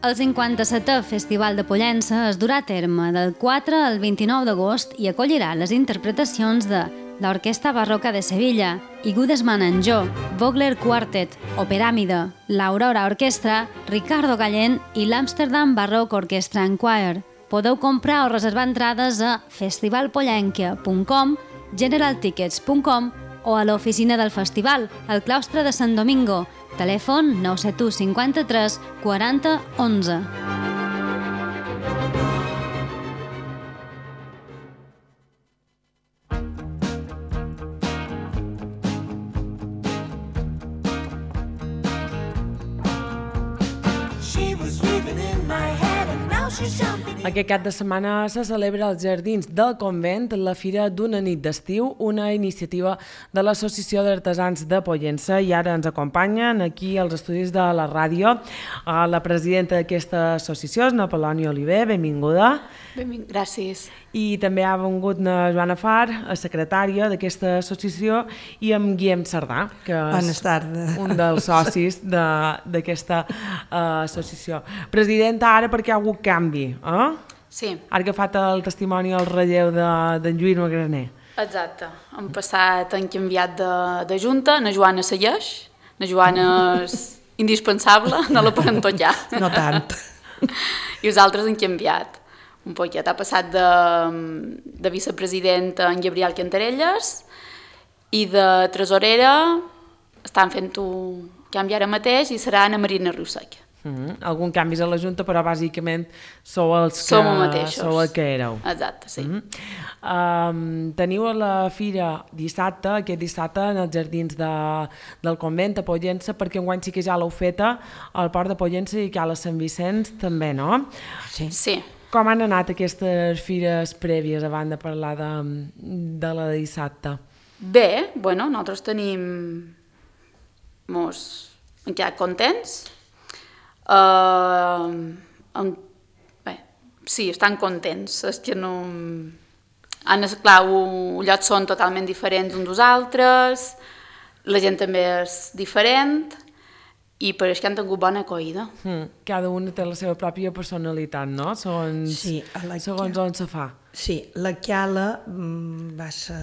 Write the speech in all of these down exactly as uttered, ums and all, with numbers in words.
El cinquanta-setè Festival de Pollença es durà a terme del quatre al vint-i-nou d'agost i acollirà les interpretacions de l'Orquestra Barroca de Sevilla, Igudesman and Jo, Vogler Quartet, Operàmide, l'Aurora Orquestra, Ricardo Gallén i l'Amsterdam Baroque Orchestra and Choir. Podeu comprar o reservar entrades a festivalpollenca punt com, generaltickets punt com o a l'oficina del festival, al claustre de Sant Domingo. Telèfon nou set u cinquanta-tres quaranta onze. Aquest cap de setmana se celebra als Jardins del Convent la Fira d'una nit d'estiu, una iniciativa de l'Associació d'Artesans de Pollença, i ara ens acompanyen aquí als estudis de la ràdio la presidenta d'aquesta associació, és Napolònia Oliver, benvinguda. Benvinguda, gràcies. I també ha vengut na Joana Far, la secretària d'aquesta associació, i amb Guillem Cerdà, que és un dels socis d'aquesta uh, associació. Presidenta, ara perquè hi ha hagut canvi, eh? Sí. Ha agafat el testimoni al relleu d'en de Lluís Magraner. Exacte. Hem passat, han canviat de, de junta, na Joana segueix, na Joana és indispensable, no la podem tot ja. No tant. I els altres han canviat. Un poquet, ha passat de, de vicepresidenta en Gabriel Cantarelles i de tresorera estan fent-ho canvi ara mateix i serà Ana Marina Riusseca. Mm-hmm. Algun canvis a la Junta, però bàsicament sou els que, Som mateixos. Sou el que éreu. Exacte, sí. Mm-hmm. Um, teniu a la fira dissabte, aquest dissabte, en els Jardins de, del Convent a Pollença, perquè enguany sí que ja l'heu feta al Port de Pollença i que a la Sant Vicenç també, no? Sí. Sí. Com han anat aquestes fires prèvies abans de parlar de, de la de dissabte? Bé, bueno, nosaltres tenim... Mos hem quedat contents. Uh, um, bé, sí, estan contents. És que no... Han, clar, els llocs són totalment diferents uns dels altres, la gent també és diferent, i per això han tingut bona acollida. Mm. Cada una té la seva pròpia personalitat, no? Segons, sí, la segons on se fa. Sí, la Chiala va ser...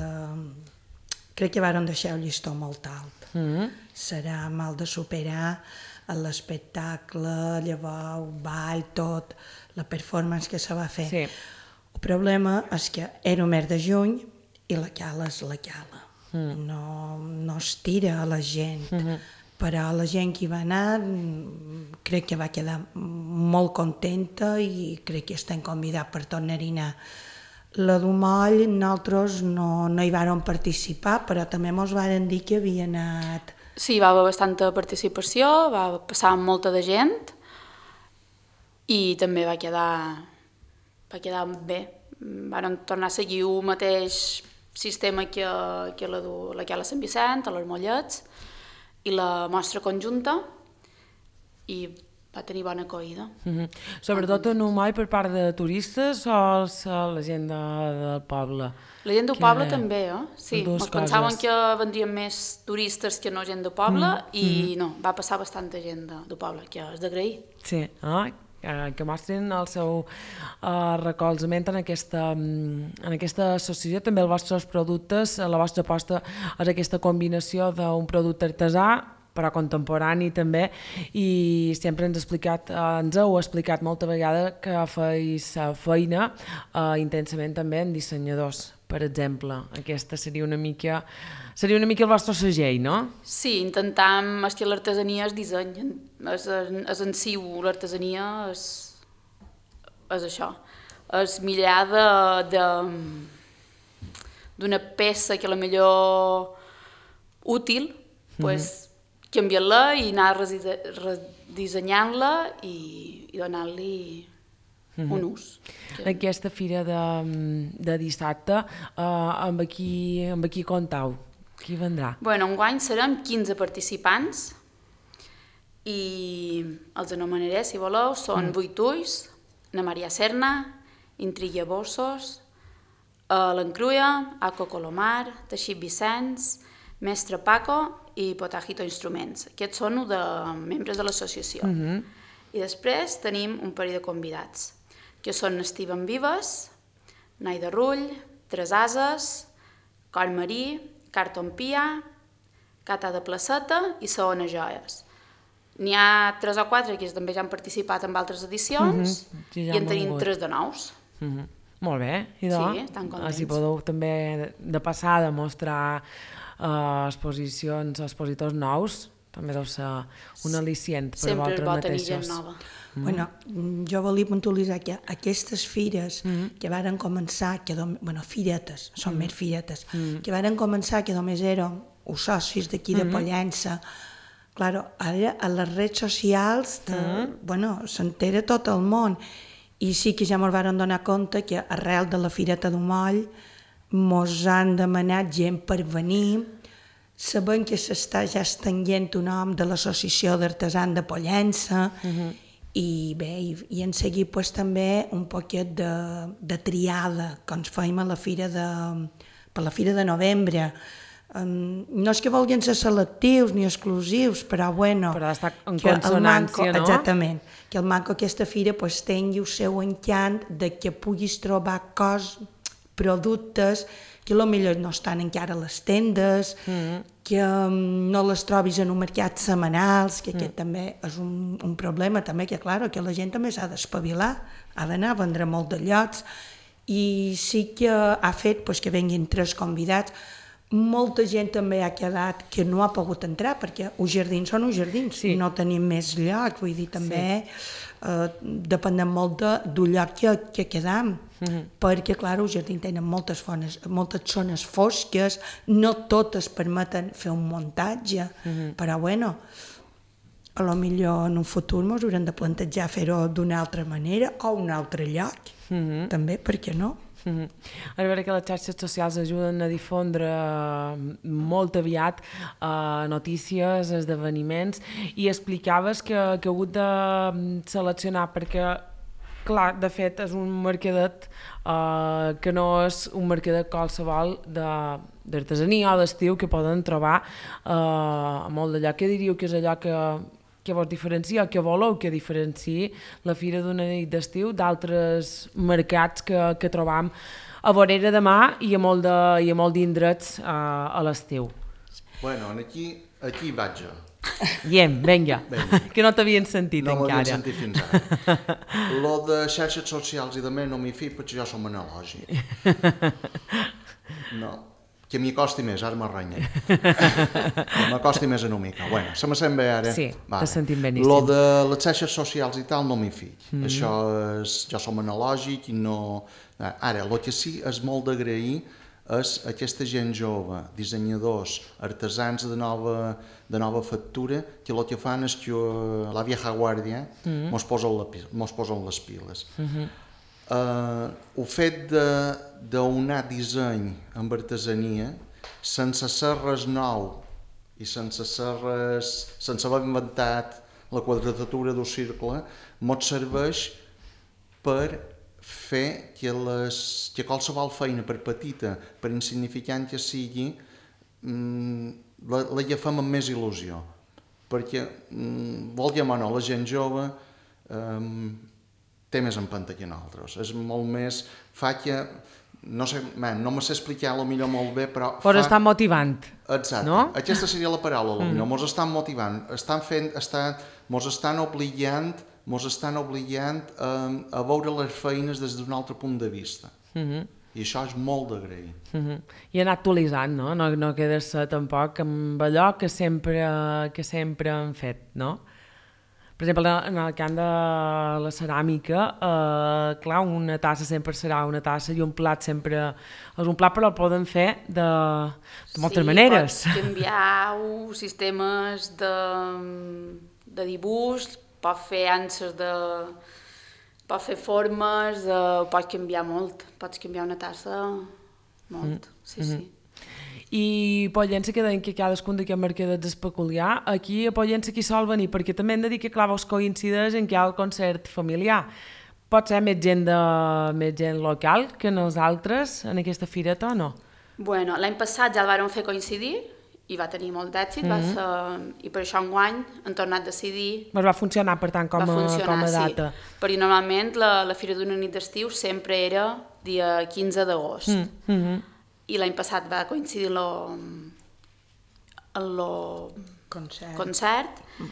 Crec que varen deixar el llistó molt alt. Mm. Serà mal de superar l'espectacle, llavors el ball, tot, la performance que se va fer. Sí. El problema és que era el mes de juny i la Chiala és la Chiala. Mm. No, no es tira a la gent. Mm-hmm. Però la gent que hi va anar crec que va quedar molt contenta i crec que estem convidats per tornar-hi anar. La d'Humoll nosaltres no, no hi vàrem participar, però també ens varen dir que havia anat... Sí, va haver bastanta participació, va passar molta de gent i també va quedar, va quedar bé. Varen tornar a seguir el mateix sistema que, que la, la que hi ha a Sant Vicent, a les Mollets, i la mostra conjunta, i va tenir bona acollida. Mm-hmm. Sobretot en Humoll per part de turistes o la gent de, del poble? La gent del que... poble també, eh? Sí, ens pensaven coses. que vendrien més turistes que no gent del poble, mm-hmm. i no, va passar bastanta gent de, del poble, que és d'agrair. Sí, ah, que mostren el seu uh, recolzament en aquesta, en aquesta associació, també els vostres productes, la vostra aposta és aquesta combinació d'un producte artesà, però contemporani també, i sempre ens, explicat, ens heu explicat molta vegada que feis feina uh, intensament també en dissenyadors, per exemple. Aquesta seria una mica, seria una mica el vostre segell, no? Sí, intentam, és que l'artesania és disseny, és, és en si, l'artesania és, és això, és millar de, d'una peça que a la millor útil, mm-hmm. pues, canviar-la i anar redissenyant-la i, i donar-li mm-hmm. un ús. Aquesta fira de, de dissabte, uh, amb, qui, amb qui comptau? Qui vendrà? Bueno, enguany serem quinze participants i els anomenaré, si voleu, són mm. vuit ulls, na Maria Serna, Intrilla Bossos, uh, l'Encruia, Aco Colomar, Teixit Vicenç, Mestre Paco i Potajito Instruments. Aquests són de membres de l'associació. Mm-hmm. I després tenim un parell de convidats, que són Esteban Vives, Naida Rull, Tres Ases, Cor Marí, Carton Pia, Cata de Placeta i Saona Joies. N'hi ha tres o quatre que també ja han participat en altres edicions mm-hmm. sí, ja i en tenim tres de nous. Mm-hmm. Molt bé, idò. Sí, estan contents. Així podeu també de passada mostrar uh, exposicions, expositors nous, també deu ser un al·licient per Sempre vosaltres mateixos. Sempre és bo tenir gent nova. Mm. Bueno, jo volia puntualitzar que aquestes fires mm. que varen començar, que dom... bueno, firetes, són mm. més firetes, mm. que varen començar que només eren els socis d'aquí de mm-hmm. Pollença. Claro, ara a les redes socials te... mm. bueno, s'entera tot el món. I sí que ja ens varen donar compte que arrel de la Fireta d'Umoll mos han demanat gent per venir, sabent que s'està ja estenguent un nom de l'Associació d'Artesans de Pollença, uh-huh. i bé, i, i en seguit pues, també un poquet de, de triada que ens fèiem a la fira de, per la Fira de Novembre. Um, no és que vulguin ser selectius ni exclusius, però bueno... Però està en consonància, manco, no? Exactament. Que el manco aquesta fira pues, tingui el seu encant de que puguis trobar cos, productes que potser no estan encara a les tendes, mm. que um, no les trobis en un mercat setmanals, que aquest mm. també és un, un problema, també que, clar, que la gent també s'ha d'espavilar, ha d'anar a vendre molt de llocs, i sí que ha fet pues, que venguin tres convidats. Molta gent també ha quedat que no ha pogut entrar, perquè els jardins són els jardins, sí. no tenim més lloc, vull dir, també sí. eh, depenem molt de, del lloc que, que quedam, mm-hmm. perquè, clar, els jardins tenen moltes, fones, moltes zones fosques, no totes permeten fer un muntatge, mm-hmm. però, bueno, a lo millor en un futur ens haurem de plantejar fer-ho d'una altra manera o un altre lloc, mm-hmm. també, per què no? Mm-hmm. A veure que les xarxes socials ajuden a difondre molt aviat uh, notícies, esdeveniments, i explicaves que, que heu hagut de seleccionar perquè, clar, de fet és un mercadet uh, que no és un mercadet qualsevol d'artesania o d'estiu que poden trobar uh, molt d'allò. Què diríeu que és allò que que vos diferencia, que voleu que diferenciï la Fira d'una nit d'estiu d'altres mercats que, que trobam a vorera de mar i a molt de, i a molt d'indrets a, a l'estiu. Bueno, aquí, aquí vaig jo. Diem, vinga, que no t'havien sentit no encara. No m'havien sentit fins ara. Lo de xarxes socials i de més no m'hi fico perquè jo som analògic. No. Que m'hi costi més, ara m'arranya. Que m'acosti més una mica. Bueno, se me sent bé ara? Sí, vale. Te sentim beníssim. Lo de les xarxes socials i tal no m'hi fic. Mm. Això és... Jo som analògic i no... Ara, el que sí és molt d'agrair és aquesta gent jove, dissenyadors, artesans de nova, de nova factura, que el que fan és que la vieja guàrdia mm. mos posen, la, mos posen les piles. Mm-hmm. Uh, el fet d'unar disseny amb artesania sense ser res nou i sense ser res, sense haver inventat la quadratura del cercle, mos serveix per fer que, les, que qualsevol feina, per petita, per insignificant que sigui, mm, la, la agafem amb més il·lusió, perquè mm, volguem o no, la gent jove um, té més empenta que nosaltres, és molt més, fa que, no sé, man, no me sé explicar potser molt bé, però... Però fa... està motivant, Exacte. No? Aquesta seria la paraula, potser, mm. mos estan motivant, estan fent, estan, mos estan obligant, mos estan obligant um, a veure les feines des d'un altre punt de vista. Mm-hmm. I això és molt d'agrair. Mm-hmm. I anar actualitzant, no? No, no quedar-se tampoc amb allò que sempre, que sempre han fet, no? Per exemple, en el camp de la ceràmica, eh, clar, una tassa sempre serà una tassa i un plat sempre és un plat, però el poden fer de, de moltes sí, maneres. Sí, pots canviar sistemes de, de dibuix, pots fer anses de... pots fer formes, de, pots canviar molt, pots canviar una tassa molt, mm. sí, mm-hmm. sí. I Pollença, que deien que cadascun d'aquests mercadets és peculiar, aquí a Pollença qui sol venir, perquè també hem de dir que clar, vos coincideix en que hi ha el concert familiar. Pot ser més gent, de, més gent local que nosaltres en aquesta fireta o no? Bueno, l'any passat ja el vàrem fer coincidir i va tenir molt d'èxit, mm -hmm. va ser... i per això enguany han tornat a decidir... Va funcionar, per tant, com a, com a data. Sí, perquè normalment la, la Fira d'una nit d'estiu sempre era dia quinze d'agost. Mm -hmm. I l'any passat va coincidir amb el concert, concert mm.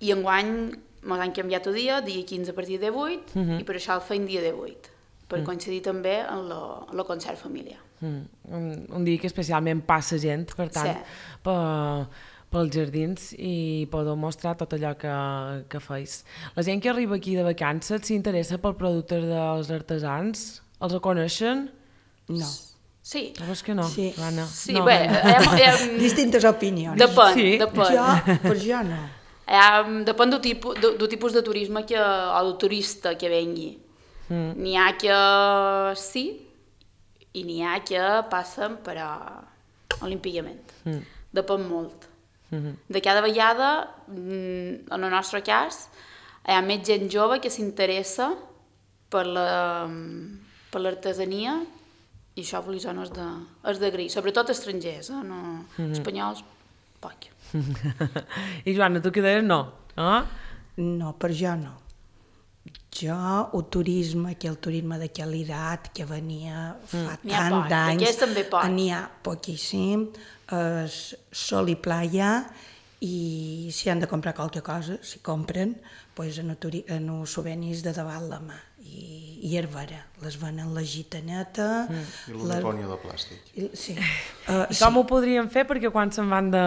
i enguany ens han canviat el dia, dia quinze a partir de vuit, mm -hmm. i per això el feim dia de vuit, per mm. coincidir també amb el concert familiar. Mm. Un, un dia que especialment passa gent, per tant, sí. per, pels jardins i podeu mostrar tot allò que, que feis. La gent que arriba aquí de vacances s'interessa pel producte dels artesans? Els coneixen? No. Sí. Veus que no, sí. Anna? Sí, no, bé, hem, hem... distintes opinions. Depèn, sí. depèn. Jo, per jo no. Um, depèn del tipus, de, del tipus de turisme que, o del turista que vengui. Mm. N'hi ha que sí, i n'hi ha que passen per a olímpicament. Mm. Depèn molt. Mm-hmm. De cada vegada, en el nostre cas, hi ha més gent jove que s'interessa per la, per l'artesania i això per l'Isona és, de, és d'agrair, sobretot estrangers, eh? No, mm-hmm. espanyols, poc. I Joana, tu què deies? No? Ah? No, per jo no. Jo, el turisme, que el turisme de qualitat que venia fa mm. tant d'anys, n'hi ha poquíssim, és sol i playa, i si han de comprar qualque cosa, si compren, pues en, el, en els souvenirs de davant la mà, i, i herbera, les venen la gitaneta... Mm. I la dipònia de plàstic. I, sí. Uh, I com sí. ho podríem fer perquè quan se'n van de,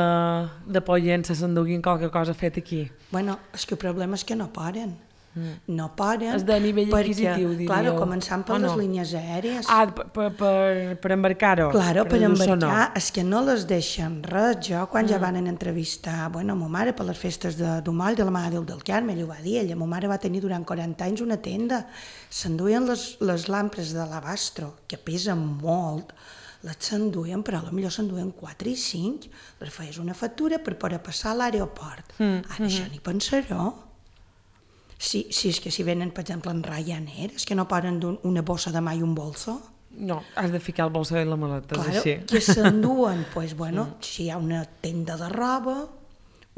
de Pollença s'enduguin qualque cosa fet aquí? Bueno, és que el problema és que no paren. Mm. No paren. És de nivell adquisitiu, diríeu. Claro, començant per les no? línies aèries. Ah, per, per, per embarcar-ho. Claro, per, per embarcar, no. És que no les deixen res. Jo, quan mm. ja van entrevistar, bueno, ma mare per les festes de Dumoll, de la Mare Déu del Carme, ell ho va dir, ella, ma mare va tenir durant quaranta anys una tenda, s'enduien les, les lampres de l'Abastro, que pesen molt, les s'enduien, però potser s'enduien quatre i cinc, les feies una factura per poder passar a l'aeroport. Mm. Ara mm. això ni pensaró. Si, si és que si venen, per exemple, en Ryanair, és que no paren una bossa de mà i un bolso. No, has de ficar el bolso i la maleta, claro, és així. Que s'enduen, pues, bueno, mm. si hi ha una tenda de roba,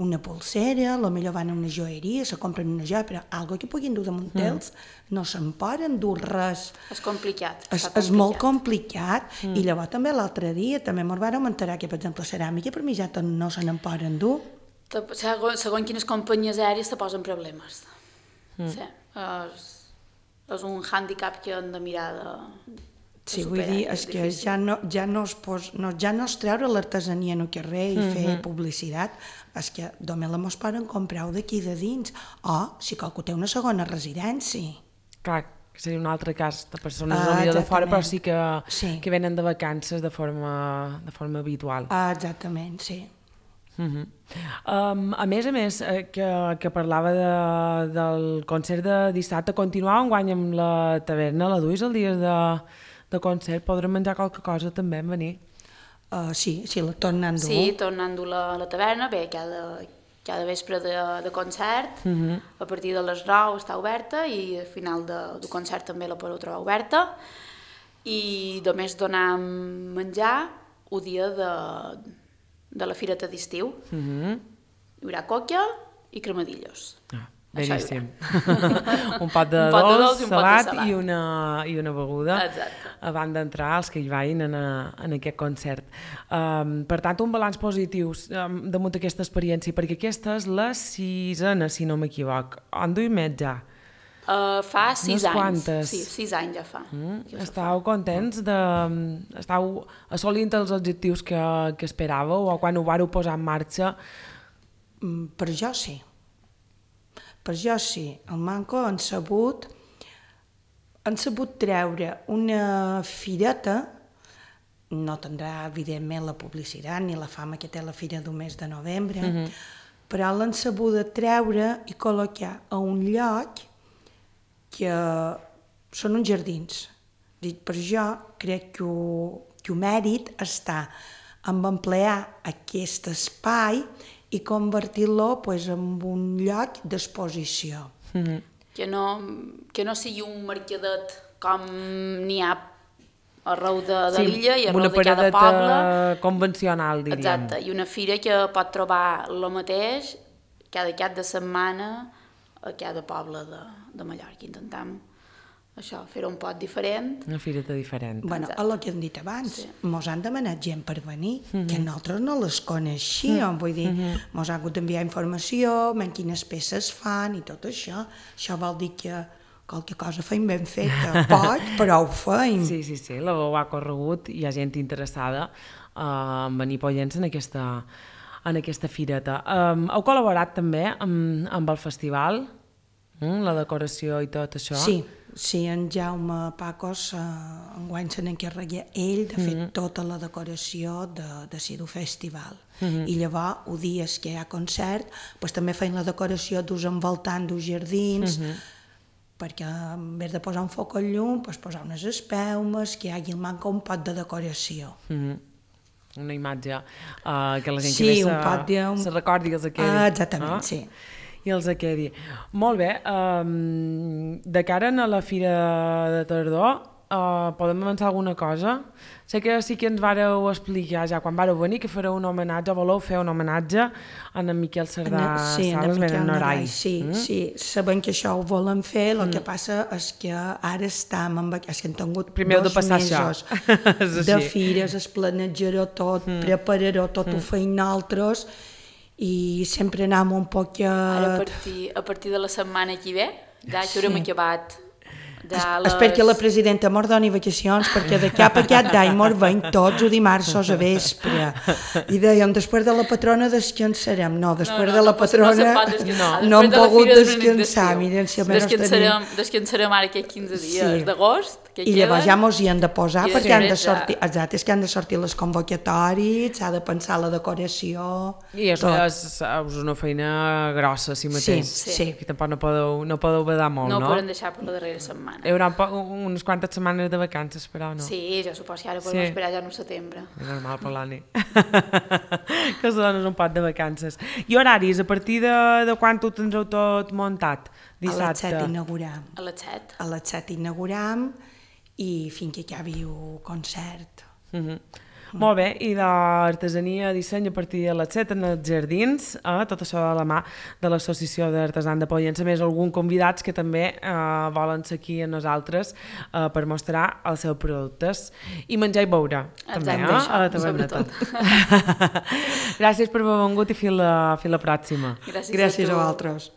una polsera, potser van a una joieria, se compren una joia, però algo que puguin dur damunt d'ells, mm. no se'n poden dur res. És complicat. És, és molt complicat, mm. i llavors també l'altre dia també ens vam enterar que, per exemple, ceràmica per mi ja no se n'en poden dur. Segons, segons quines companyies aèries te posen problemes. Mm. Sí, és, és un hàndicap que hem de mirar de, de sí, superar. Vull dir, és, és que ja no, ja, no es pos, no, ja no es treure l'artesania en el carrer i mm-hmm. fer publicitat, és que només la mos poden comprar-ho d'aquí de dins, o si qualcú té una segona residència. Clar, que seria un altre cas de persones ah, no de fora, però sí que, sí que venen de vacances de forma, de forma habitual. Ah, exactament, sí. Uh-huh. Um, a més a més, eh, que, que parlava de, del concert de dissabte, continuava enguany amb la taverna, la duis el dia de, de concert, podrem menjar qualque cosa també en venir? Uh, sí, sí, la tornant-ho. Sí, tornant-ho a la, la taverna, bé, cada, cada vespre de, de concert, uh-huh. a partir de les nou està oberta i al final de, del concert també la podeu trobar oberta, i només donar menjar el dia de de la fireta d'estiu. Mm-hmm. Hi haurà coca i cremadillos. Ah, beníssim. un pot de, un pot de dolç, salat, salat. I, una, i una beguda. Exacte. Abans d'entrar els que hi vagin en, a, en aquest concert. Um, per tant, un balanç positiu um, damunt d'aquesta experiència, perquè aquesta és la sisena, si no m'equivoc. On duim més ja? Uh, fa sis Unes anys. Quantes. Sí, sis anys ja fa. Mm, ja estàu fa. Contents de... Estàu assolint els objectius que, que esperàveu o quan ho vareu posar en marxa? Mm, per jo sí. Per jo sí. El Manco han sabut, han sabut treure una fireta, no tindrà evidentment la publicitat ni la fama que té la fira del mes de novembre, mm-hmm. però l'han sabut de treure i col·locar a un lloc que són uns jardins. Per jo crec que el, que el mèrit està en emplear aquest espai i convertir-lo pues, en un lloc d'exposició. Mm-hmm. Que no, que no sigui un mercadet com n'hi ha arreu de, de Sí, l'illa i amb arreu una de cada paradeta poble. convencional, diríem. Exacte, i una fira que pot trobar el mateix cada cap de setmana a cada poble de, de Mallorca. Intentem això, fer-ho un poc diferent. Una fireta diferent. Bueno, Exacte. el que hem dit abans, Sí. mos han demanat gent per venir, Mhm. que nosaltres no les coneixíem, vull dir, mos han hagut d'enviar informació, en quines peces fan i tot això. Això vol dir que qualque cosa feim ben feta, poc, però ho feim. Sí, sí, sí, la veu ha corregut, hi ha gent interessada uh, en venir a Pollença en aquesta, en aquesta fireta. Um, heu col·laborat també amb, amb el festival, mm, la decoració i tot això? Sí, sí, en Jaume Pacos eh, enguany se n'encarrega ell de fer tota la decoració de, de Sidu Festival. I llavors, els dies que hi ha concert, pues, també feim la decoració d'us envoltant dels jardins, perquè en vez de posar un foc al llum, pues, posar unes espelmes, que hi hagi manca un pot de decoració. Mhm. Una imatge uh, que la gent Sí, que ve un se, pot de- un- se recordi que els quedi. Ah, exactament, sí. I els quedi. Molt bé, um, de cara a la Fira de Tardor, uh, podem avançar alguna cosa? Sé que sí que ens vareu explicar ja quan vareu venir que fareu un homenatge, o voleu fer un homenatge a en Miquel Cerdà Sí, en Sales, Miquel ben en Norai, Norai. sí, Mm? sí, sabem que això ho volen fer, el que passa és que ara estem amb, és que hem tingut Primer heu de dos passar mesos això. És de així. fires, es planejarà tot, prepararà tot, ho feim nosaltres, i sempre anem un poc Ara, a a... partir, a partir de la setmana que ve, ja que haurem acabat. Ja Es, espero que la presidenta mos doni vacacions, perquè de cap a aquest d'any mos veiem tots o dimarts a vespre. I dèiem, després de la patrona descansarem. No, després no, de la no, pot- no patrona se'n pot descansar. no hem Després de la pogut Fira de descansar. Benedicció. Miren, si almenys descansarem, tenim... descansarem ara aquests quinze dies Sí. d'agost que I llavors queden. ja mos hi han de posar, I perquè han de després ja- sortir, exacte, és que han de sortir les convocatòries, s'ha de pensar la decoració... I és, tot. és, és una feina grossa, si mateix. Sí, sí. Que tampoc no podeu, no podeu badar molt, No no? ho podem deixar per la darrera setmana. Hi haurà un po- unes quantes setmanes de vacances, però no. Sí, jo suposo que ara podem Sí. esperar ja en setembre. És normal per l'Ani. Que es dones un pot de vacances. I horaris, a partir de, de quan ho tindreu tot muntat? A les Dissabte. set inauguram. A les set. A les set inauguram i fins que acabi el concert. Mhm. Molt bé, i d'artesania, disseny a partir de les set en els jardins, eh, tot això de la mà de l'Associació d'Artesans de Pollença, més algun convidats que també eh, volen ser aquí a nosaltres eh, per mostrar els seus productes i menjar i beure, també, Exacte, eh, això, a la taverna. sobretot. Gràcies per haver vengut i fins la, fins la pròxima. Gràcies, Gràcies a tu. vosaltres.